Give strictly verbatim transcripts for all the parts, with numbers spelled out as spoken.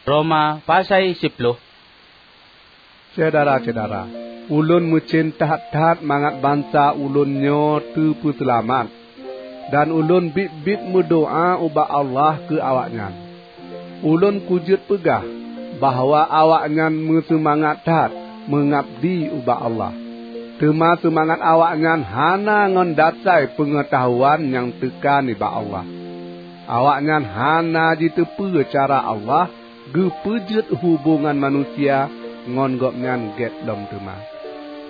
Roma pasai siploh. Syedara-syedara, ulôn meucen that-that mangat bansa ulôn nyoe teupeuseulamat, dan ulôn biet-biet meudoá ubak Allah keu awaknyan. Ulôn kujeuet peugah bahwa awaknyan meuseumangat that meungabdi ubak Allah. Teuma seumangat awaknyan hana ngon dasai peungeutahuan nyang teuka nibak Allah. Awaknyan hana jiteupeue cara Allah geupeujeuet hubongan manusia ngon Gobnyan gét lom teuma.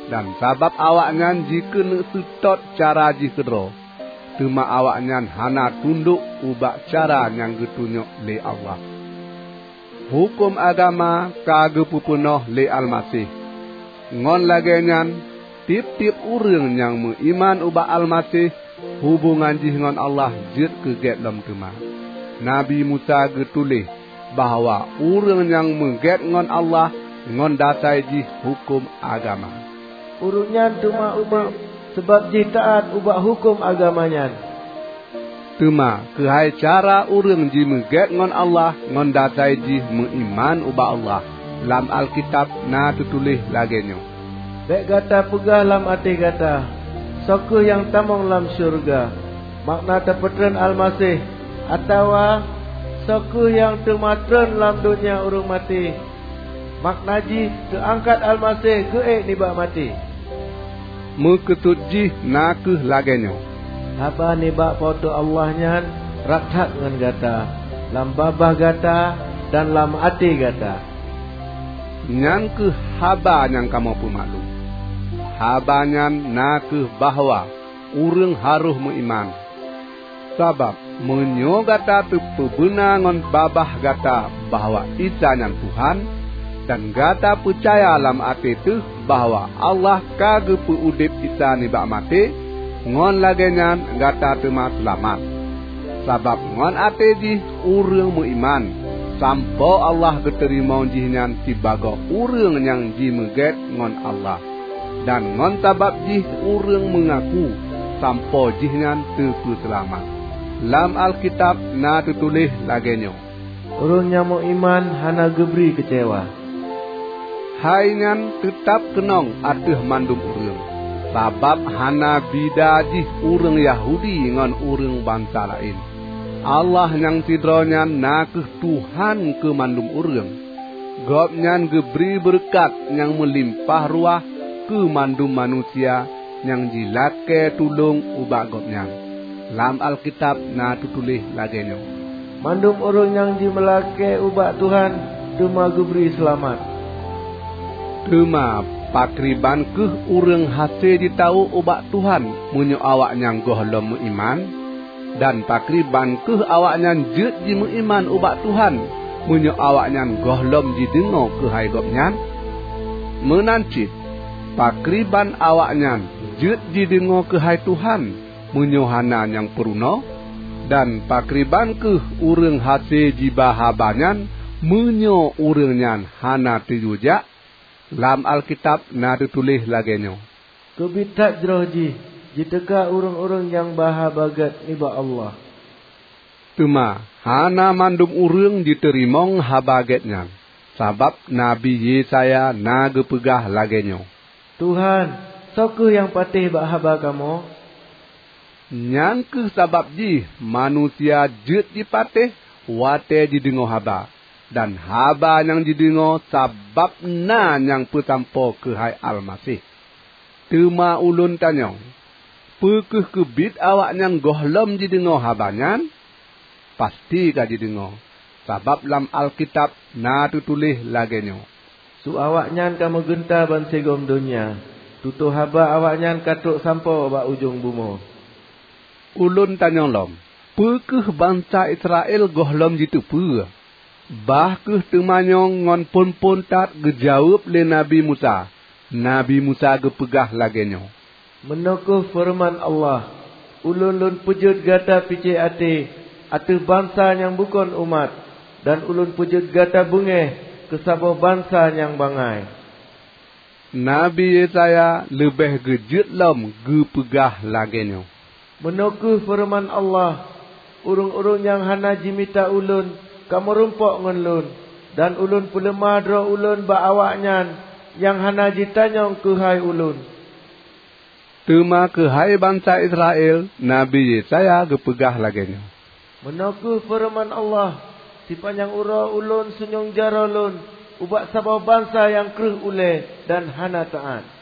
Dan sabab awaknyan jikeuneuk seutôt cara jih keudroe, teuma awaknyan hana tundok ubak cara nyang geutunyok lé Allah. Huköm agama ka geupeupeunoh lé Almaseh. Ngon lagée nyan, tieb-tieb ureuëng nyang meuiman ubak Almaseh, hubongan jih ngon Allah jeuet keu gét lom teuma. Nabi Musa geutuléh bahwa ureuëng nyang meugét ngon Allah ngon dasai jih huköm agama. Ureuëng nyan teuma udeb sabab jih taát ubak huköm agama nyan. Teuma keuhai cara ureuëng jimeugét ngon Allah ngon dasai jih meuiman ubak Allah, lam Alkitab na teutuléh lagée nyoe, "Bék gata peugah lam até gata, 'Soe kheueh nyang tamong lam syeuruga?' Makna tapeutrön Almaseh, atawa, 'Soe kheueh nyang teuma trön lam donya ureuëng maté?' Makna jih teuangkat Almaseh geuék nibak maté." Meukeusut jih na kheueh lagée nyoe, "Haba nibak Po teu Allah nyan rab that ngon gata, lam babah gata dan lam até gata." Nyan kheueh haba nyang kamoe peumaklum. Haba nyan na kheueh bahwa ureuëng harôh meuiman. Sabab, meunyoe gata teupeubeuna ngon babah gata bahwa Isa nyan Tuhan, dan gata peucaya lam até teuh bahwa Allah ka geupeu udeb Isa nibak maté, ngon lagée nyan gata teuma seulamat. Sabab ngon até jih ureuëng meuiman, sampoe Allah geuteurimong jihnyan sibagoe ureuëng nyang jimeugét ngon Allah. Dan ngon sabab jih ureuëng meungaku sampoe jihnyan teupeuseulamat. Lam Alkitab na teutuléh lagée nyoe, "Ureuëng nyang meuiman hana geubri keucewa." Hai nyan teutab keunong ateueh mandum ureuëng, sabab hana bida jih ureuëng Yahudi ngon ureuëng bansa laén. Allah nyang sidroe nyan na kheueh Tuhan keu mandum ureuëng. Gobnyan geubri beureukat nyang meulimpah ruah keu mandum manusia nyang jilakée tulông ubak Gobnyan. Lam Alkitab na teutuléh lagée nyoe, "Mandum ureuëng nyang jimeulakée ubak Tuhan teuma geubri seulamat." Teuma pakriban kheueh ureuëng hase jitawök ubak Tuhan meunyoe awaknyan gohlom meuiman? Dan pakriban kheueh awaknyan jeuet jimeuiman ubak Tuhan meunyoe awaknyan gohlom jideungoe keuhai Gobnyan? Meunan cit, pakriban awaknyan jeuet jideungoe keuhai Tuhan meunyoe hana nyang peurunoe? Dan pakriban kheueh ureuëng hase jiba haba nyan meunyoe ureuëng nyan hana teuyue jak? Lam Alkitab na teutuléh lagée nyoe, "Keubiet that jroh jih jiteuka ureuëng-ureuëng nyang ba haba gét nibak Allah." Teuma hana mandum ureuëng jiteurimong haba gét nyan, sabab Nabi Yesaya na geupeugah lagée nyoe, "Tuhan, soe kheueh nyang patéh bak haba kamoe?" Nyan kheueh sabab jih manusia jeuet jipatéh watée jideungoe haba, dan haba nyang jideungoe sabab na nyang peusampoe keuhai Almaseh. Teuma ulôn tanyong, peu kheueh keubiet awaknyan gohlom jideungoe haba nyan? Pasti ka jideungoe, sabab lam Alkitab na teutuléh lagée nyoe, "Su awaknyan ka meugeunta bansigom donya, tutoe haba awaknyan ka trok sampoe bak ujong bumoe." Ulôn tanyong lom, peu kheueh bansa Israel gohlom jiteupeue? Bah kheueh teumanyong ngon phon-phon that geujaweueb lé Nabi Musa. Nabi Musa geupeugah lagée nyoe, "Meunoe kheueh feureuman Allah, 'Ulôn Lôn peujeuet gata picék até ateueh bansa nyang bukon umat, dan Ulôn peujeuet gata beungéh keu saboh bansa nyang bangai.'" Nabi Yesaya leubeh geujeuet lom geupeugah lagée nyoe, "Meunoe kheueh feureuman Allah, 'Ureuëng-ureuëng nyang hana jimita Ulôn ka meurumpok ngon Lôn, Dan Ulôn peuleumah droe Ulôn bak awaknyan nyang hana jitanyong keuhai Ulôn." Teuma keuhai bansa Israel, Nabi Yesaya geupeugah lagée nyoe, "Meunoe kheueh feureuman Allah, 'Sipanyang uroe Ulôn sunyueng jaroe Lôn ubak saboh bansa nyang kreueh ulée dan hana taát.